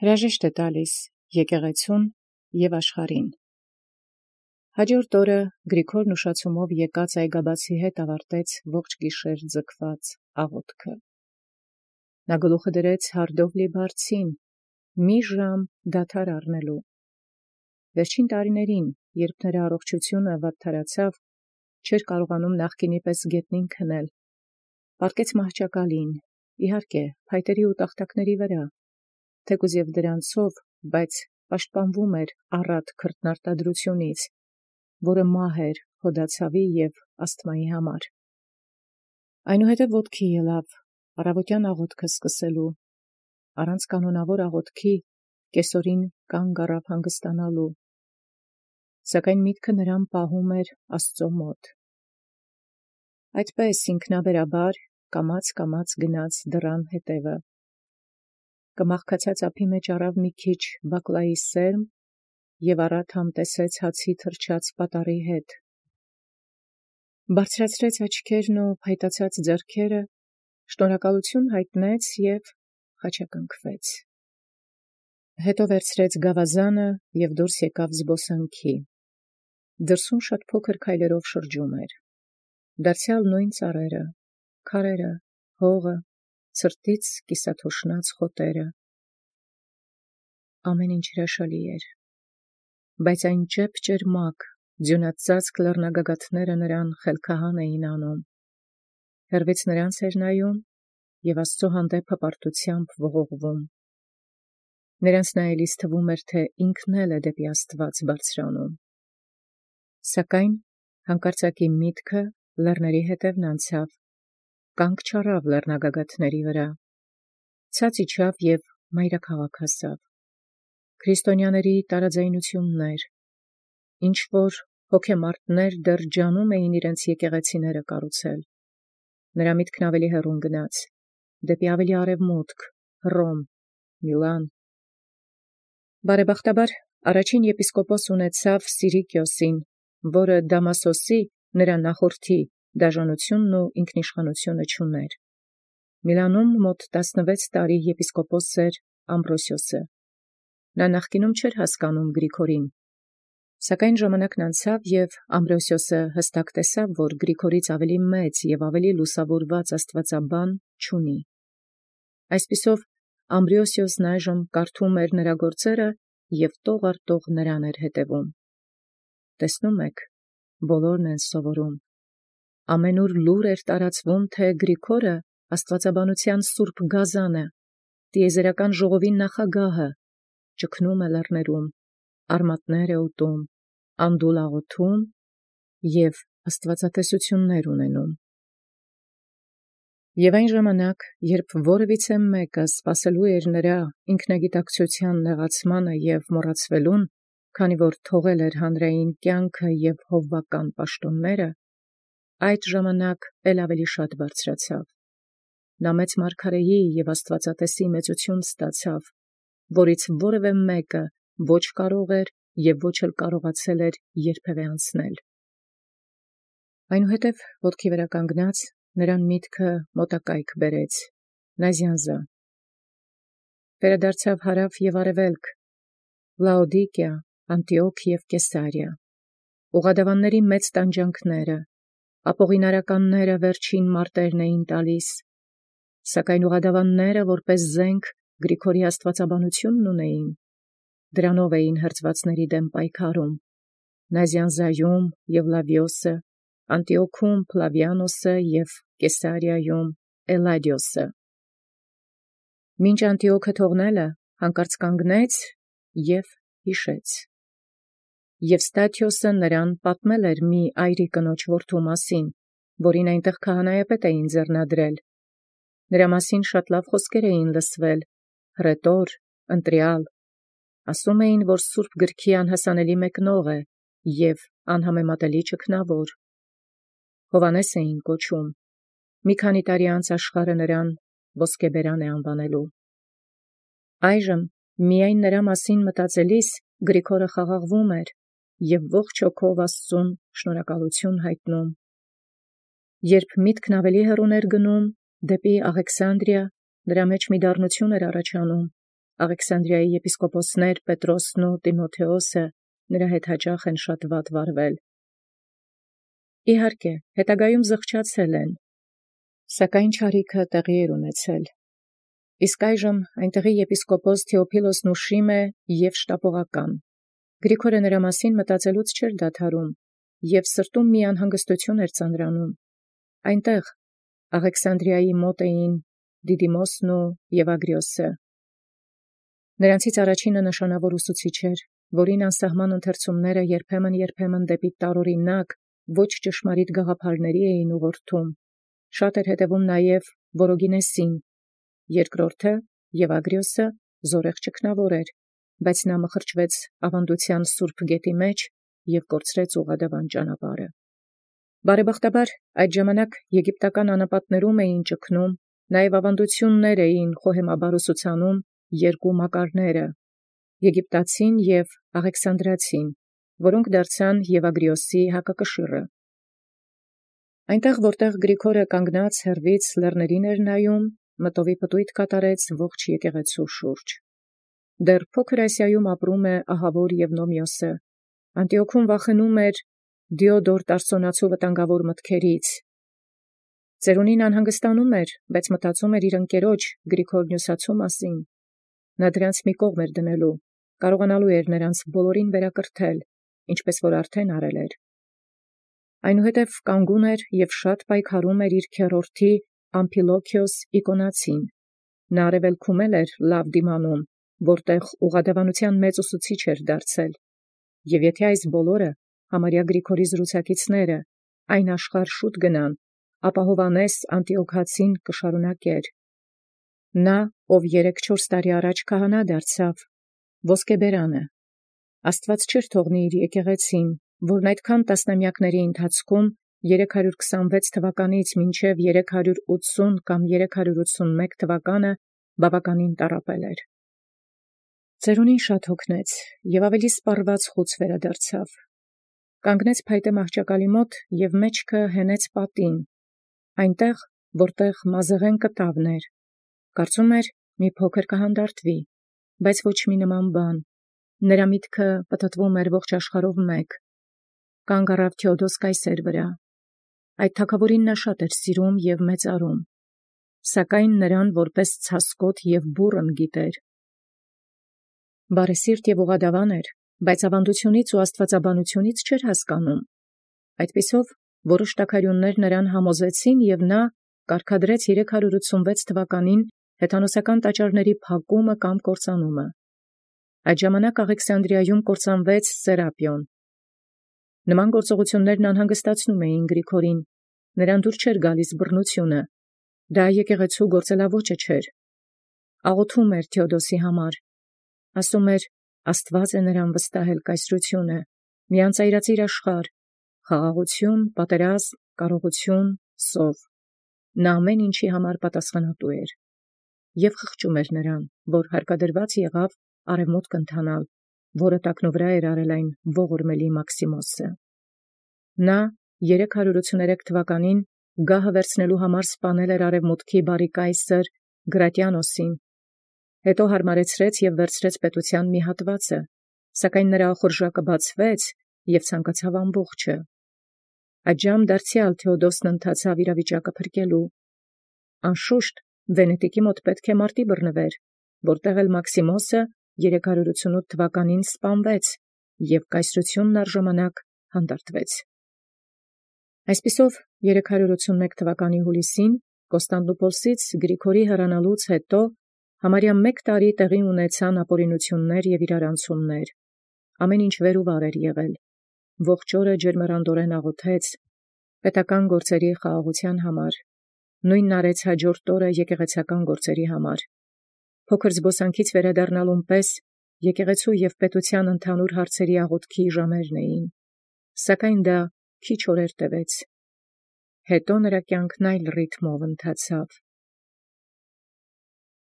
Հրաժեշտ է տալիս եկեղեցուն և աշխարհին։ Հաջորդ օրը Գրիգորն ուշացումով եկած այգաբացի հետ ավարտեց ողջ գիշեր ձգված աղոթքը։ Նա գլուխը դրեց հարդովլի բարձին, մի ժամ դադար առնելու։ Վերջին տարիներին, երբ նրա առողջությունը վատթարացավ, չէր կարողանում նախկինի պես գետնին քնել, պառկեց մահճակալին, իհարկե, փայտերի ու տախտակների վրա, թեկուզ և դրանցով, բայց պաշտպանվում էր առատ քրտնարտադրությունից, որը մահ էր հոդացավի և ասթմայի համար։ Այնուհետև ոտքի ելավ առավոտյան աղոթքը սկսելու, առանց կանոնավոր աղոթքի կեսօրին կանգ առավ հանգստանալու, սակայն միտքը նրան պահում էր Աստծո մոտ։ Այդպես ինքնաբերաբար կամաց գնաց դռան հետևը, կմախքացած ափի մեջ առավ մի քիչ բակլայի սերմ և առատ համտեսեց հացի թրջած պատառի հետ, բարձրացրեց աչքերն ու փայտացած ձեռքերը, շնորհակալություն հայտնեց և խաչակնկվեց։ Հետո վերցրեց գավազանը և դուրս եկավ զբոսանքի։ Դրսում շատ փոքր քայլերով շրջում էր։ Դարձյալ նույն ծառերը, քարերը, հողը, ցրտից կիսաթոշնած խոտերը։ Ամեն ինչ հրաշալի էր, բայց այն ճեպ-ճերմակ, ձյունածածկ լեռնագագաթները նրան խելքահան էին անում։ Հեռվից նրանց էր նայում և Աստծո հանդեպ հպարտությամբ ողողվում։ Նրանց նայելիս թվում էր, թե ինքն էլ է դեպի Աստված բարձրանում։ Սակայն հանկարծակի միտքը լեռների հետևն անցավ, կանգ չառավ լեռնագագաթների վրա, ցած իջավ և մայրաքաղաք հասավ։ Քրիստոնյաների տարաձայնություններ, ինչ-որ հոգեմարտներ դեռ ջանում էին իրենց եկեղեցիները կառուցել։ Նրա միտքն ավելի հեռուն գնաց, դեպի ավելի արևմուտք, Հռոմ, Միլան։ Բարեբախտաբար առաջին եպիսկոպոս ունեցավ Սիրիկիոսին, որը Դամասոսի, նրա նախորդի, դաժանությունն ու ինքնիշխանությունը չուներ։ Միլանում մոտ 16 տարի եպիսկոպոս էր Ամբրոսիոսը։ Նա նախկինում չէր հասկանում Գրիգորին, սակայն ժամանակն անցավ և Ամբրոսիոսը հստակ տեսավ, որ Գրիգորից ավելի մեծ և ավելի լուսավորված աստվածաբան չունի։ Այսպիսով Ամբրոսիոսն այժմ կարդում էր նրա գործերը և տող առ տող նրան էր հետևում։ Տեսնում եք, բոլորն են սովորում։ Ամենուր լուր էր տարածվում, թե Գրիգորը աստվածաբանության սուրբ գազանը, տիեզերական ժողովի նախագահը, ճգնում է լեռներում, արմատներ է ուտում, անդուլ աղոթում և աստվածատեսություններ ունենում։ Եվ այն ժամանակ, երբ որևիցե մեկը սպասելու էր նրա ինքնագիտակցության նեղացմանը և մոռացվելուն, քանի որ թողել էր հանրային կյանքը և հովվական պաշտոնները, այդ ժամանակ էլ ավելի շատ բարձրացավ։ Նա մեծ մարգարեի և աստվածատեսի մեծություն ստացավ, որից որևէ մեկը ոչ կարող էր և ոչ էլ կարողացել էր երբևէ անցնել։ Այնուհետև ոտքի վրա կանգնած նրան միտքը մոտակայք բերեց, Նազյանզա։ Վերադարձավ հարավ և արևելք, Լաոդիկիա, Անտիոք և Կեսարիա, ուղադավանների մեծ տանջանքները, ապողինարականները վերջին մարտերն էին տալիս, սակայն ուղադավանները որպես զենք Գրիգորի աստվածաբանությունն ունեին, դրանով էին հրձվածների դեմ պայքարում, Նազյանզայում Եվլավիոսը, Անտիոքում Փլավիանոսը և Կեսարիայում Էլադիոսը։ Մինչ Անտիոքը թողնելը հանկարծ կանգնեց և հիշեց։ Եվստաթիոսը նրան պատմել էր մի այրի կնոջ որդու մասին, որին այնտեղ քահանայապետ էին ձեռնադրել։ Նրա մասին շատ լավ խոսքեր էին լսվել, հռետոր, ընտրյալ, ասում էին, որ Սուրբ գրքի անհասանելի մեկնող է և անհամեմատելի ճգնավոր։ Հովհաննես էին կոչում։ Մի քանի տարի անց աշխարհը նրան ոսկեբերան է անվանելու։ Այժմ միայն նրա մասին մտածելիս Գրիգորը խաղաղվում էր և ողջ հոգով Աստծուն շնորհակալություն հայտնում։ Երբ միտքն ավելի հեռուն էր գնում, դեպի Աղեքսանդրիա, նրա մեջ մի դառնություն էր առաջանում, Աղեքսանդրիայի եպիսկոպոսներ Պետրոսն ու Տիմոթեոսը նրա հետ հաճախ են շատ վատ վարվել։ Իհարկե, հետագայում զղջացել են, սակայն չարիքը տեղի էր ունեցել։ Իսկ այժմ այնտեղի եպիսկոպոս Թեոփիլոսն ուշիմ է և շտապողական։ Գրիգորը նրա մասին մտածելուց չէր դադարում և սրտում մի անհանգստություն էր ծանրանում։ Այնտեղ Աղեքսանդրիայի մոտ էին Դիդիմոսն ու Եվագրիոսը։ Նրանցից առաջինը նշանավոր ուսուցիչ էր, որին անսահման ընթերցումները երբեմն դեպի տարօրինակ, ոչ ճշմարիտ գաղափարների էին ուղղորդում։ Շատ էր հետևում նաև Որոգինեսին։ Երկրորդը Եվագրիոսը զորեղ ճգնավոր էր, բայց նա մխրճվեց ավանդության սուրբ գետի մեջ և կորցրեց ուղղադավան ճանապարհը։ Բարեբախտաբար այդ ժամանակ եգիպտական անապատներում էին ճգնում, նաև ավանդություններ էին խոհեմաբար ուսուցանում երկու մակարները՝ եգիպտացին և աղեքսանդրացին, որոնք դարձան Եվագրիոսի հակակշիռը։ Այնտեղ, որտեղ Գրիգորը կանգնած հեռվից լեռներին էր նայում, մտովի պտույտ կատարեց ողջ եկեղեցու շուրջ։ Դեռ փոքր Ասիայում ապրում է ահավոր Եվնոմիոսը։ Անտիոքում վախենում էր Դիոդոր Տարսոնացու վտանգավոր մտքերից։ Ծերունին անհանգստանում էր, բայց մտածում էր իր ընկերոջ Գրիգոր Նյուսացու մասին։ Նա դրանց մի կողմ էր դնելու, կարողանալու էր նրանց բոլորին վերակրթել, ինչպես որ արդեն արել էր։ Այնուհետև կանգուն էր և շատ պայքարում էր իր քեռորդի Ամփիլոքիոս Իկոնացին։ Նա արևելքում էր լավ դիմանում, որտեղ ուղղադավանության մեծ ուսուցիչ էր դարձել։ Եվ եթե այս բոլորը համարյա Գրիգորի զրուցակիցները այն աշխարհ շուտ գնան, ապա Հովհաննես Անտիոքացին կշարունակեր։ Նա, ով 3-4 տարի առաջ քահանա դարձավ, ոսկեբերանը, Աստված չէր թողնի իր եկեղեցին, որն այդքան տասնամյակների ընթացքում 326 թվականից մինչև 380 կամ 381 թվականը բավականին տառապել էր։ Ծերունին շատ հոգնեց և ավելի սպառված խուց վերադարձավ։ Կանգնեց փայտե մահճակալի մոտ և մեջքը հենեց պատին, այնտեղ, որտեղ մազեղեն կտավն էր։ Կարծում էր մի փոքր կհանդարտվի, բայց ոչ մի նման բան։ Նրա միտքը պտտվում էր ողջ աշխարհով մեկ։ Կանգ առավ Թեոդոս կայսեր վրա։ Այդ թագավորին նա շատ էր սիրում և մեծարում, սակայն նրան որպես ցասկոտ և բուռն գիտեր։ Բարեսիրտ և ուղղադավան էր, բայց ավանդությունից ու աստվածաբանությունից չէր հասկանում։ Այդպիսով որոշ տաքարյուններ նրան համոզեցին, և նա կարգադրեց 386 թվականին հեթանոսական տաճարների փակումը կամ կործանումը։ Այդ ժամանակ Աղեքսանդրիայում կործանվեց Սերապիոն։ Նման գործողություններն անհանգստացնում էին Գրիգորին, նրան դուր չէր գալիս բռնությունը, դա եկեղեցու գործելաոճը չէր։ Աղոթում էր Թեոդոսի համար, ասում էր, Աստված է նրան վստահել կայսրությունը, մի անծայրածիր աշխարհ, խաղաղություն, պատերազմ, կարողություն, սով։ Նա ամեն ինչի համար պատասխանատու էր։ Եվ խղճում էր նրան, որ հարկադրված եղավ արևմուտք ընթանալ, որը տակնուվրա էր արել այն ողորմելի Մաքսիմոսը։ Նա 383 թվականին գահը վերցնելու համար սպանել էր արևմուտքի բարի կայսր Գրատիանոսին, հետո հարմարեցրեց և վերցրեց պետության մի հատվածը, սակայն նրա ախորժակը բացվեց և ցանկացավ ամբողջը։ Այդժամ դարձյալ Թեոդոսն ընթացավ իրավիճակը փրկելու։ Անշուշտ Վենետիկի մոտ պետք է մարտի բռնվեր, որտեղ էլ Մաքսիմոսը 388 թվականին սպանվեց և կայսրությունն առժամանակ հանդարտվեց։ Այսպիսով 381 թվականի հուլիսին Կոստանդնուպոլսից Գրիգորի հեռանալուց հետո համարյա մեկ տարի տեղի ունեցան ապօրինություններ և իրարանցումներ։ Ամեն ինչ վեր ու վար էր եղել։ Ողջ օրը ջերմեռանդորեն աղոթեց պետական գործերի խաղաղության համար, նույնն արեց հաջորդ օրը եկեղեցական գործերի համար։ Փոքր զբոսանքից վերադառնալուն պես եկեղեցու և պետության ընդհանուր հարցերի աղոթքի ժամերն էին, սակայն դա քիչ օրեր տևեց։ Հետո նրա կյանքն այլ ռիթմով ընթացավ։